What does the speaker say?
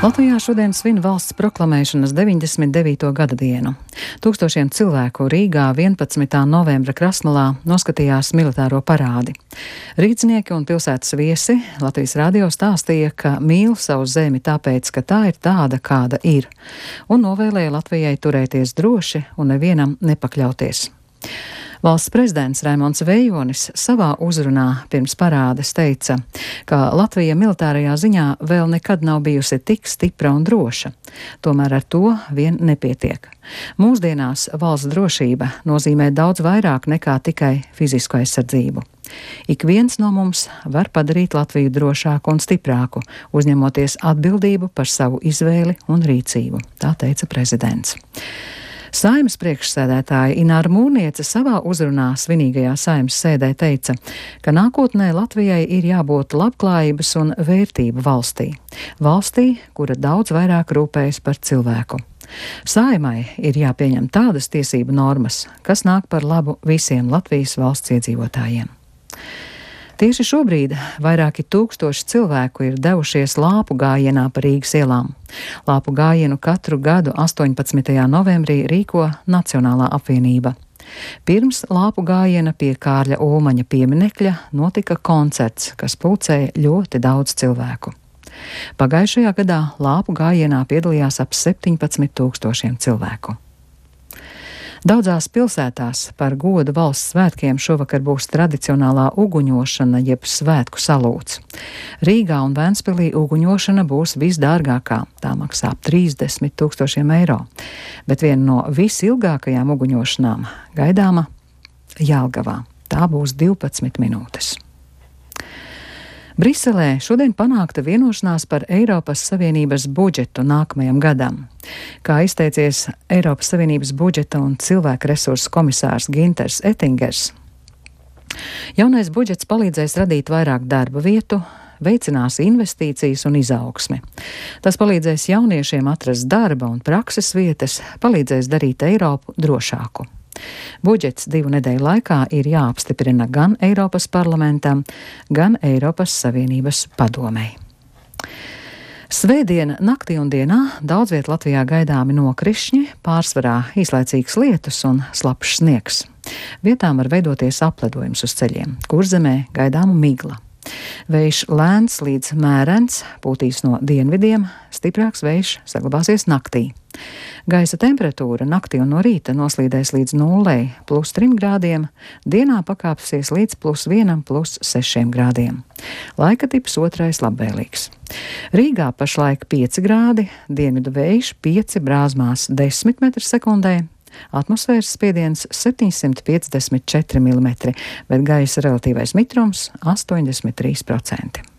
Latvijā šodien svin valsts proklamēšanas 99. gada dienu. Tūkstošiem cilvēku Rīgā 11. novembra Krasmalā noskatījās militāro parādi. Rīdznieki un pilsētas viesi Latvijas radio stāstīja, ka mīl savu zemi tāpēc, ka tā ir tāda, kāda ir, un novēlēja Latvijai turēties droši un nevienam nepakļauties. Valsts prezidents Raimonds Vejonis savā uzrunā pirms parādes teica, ka Latvija militārajā ziņā vēl nekad nav bijusi tik stipra un droša. Tomēr ar to vien nepietiek. Mūsdienās valsts drošība nozīmē daudz vairāk nekā tikai fizisku aizsardzību. Ik viens no mums var padarīt Latviju drošāku un stiprāku, uzņemoties atbildību par savu izvēli un rīcību, tā teica prezidents. Saeimas priekšsēdētāja Ināra Mūrniece savā uzrunā svinīgajā Saeimas sēdē teica, ka nākotnē Latvijai ir jābūt labklājības un vērtību valstī. Valstī, kura daudz vairāk rūpējas par cilvēku. Saeimai ir jāpieņem tādas tiesību normas, kas nāk par labu visiem Latvijas valsts iedzīvotājiem. Tieši šobrīd vairāki tūkstoši cilvēku ir devušies lāpu gājienā pa Rīgas ielām. Lāpu gājienu katru gadu 18. novembrī rīko Nacionālā apvienība. Pirms lāpu gājiena pie Kārļa Ulmaņa pieminekļa notika koncerts, kas pulcēja ļoti daudz cilvēku. Pagājušajā gadā lāpu gājienā piedalījās ap 17,000 cilvēku. Daudzās pilsētās par godu valsts svētkiem šovakar būs tradicionālā uguņošana jeb svētku salūts. Rīgā un Ventspilī uguņošana būs visdārgākā, tā maksā ap 30,000 eiro, bet viena no visilgākajām uguņošanām gaidāma Jelgavā. Tā būs 12 minūtes. Briselē šodien panākta vienošanās par Eiropas Savienības budžetu nākamajam gadam. Kā izteicies Eiropas Savienības budžeta un cilvēku resursu komisārs Ginters Ettingers, jaunais budžets palīdzēs radīt vairāk darba vietu, veicinās investīcijas un izaugsmi. Tas palīdzēs jauniešiem atrast darba un prakses vietas, palīdzēs darīt Eiropu drošāku. Budžets 2 nedēļu laikā ir jāapstiprina gan Eiropas parlamentam, gan Eiropas Savienības padomei. Svētdien naktī un dienā daudz viet Latvijā gaidāmi nokrišņi, pārsvarā īslaicīgs lietus un slapjš sniegs. Vietām var veidoties apledojums uz ceļiem, Kurzemē gaidāma migla. Vējš lēns līdz mērens, pūtīs no dienvidiem, stiprāks vējš saglabāsies naktī. Gaisa temperatūra naktī un no rīta noslīdēs līdz 0, +3 grādiem, dienā pakāpsies līdz +1, +6 grādiem. Laika tips otrais labvēlīgs. Rīgā pašlaik 5 grādi, dienvidu vējš 5 brāzmās 10 m/sekundē, atmosfēras spiediens 754 mm, bet gaisa relatīvais mitrums 83%.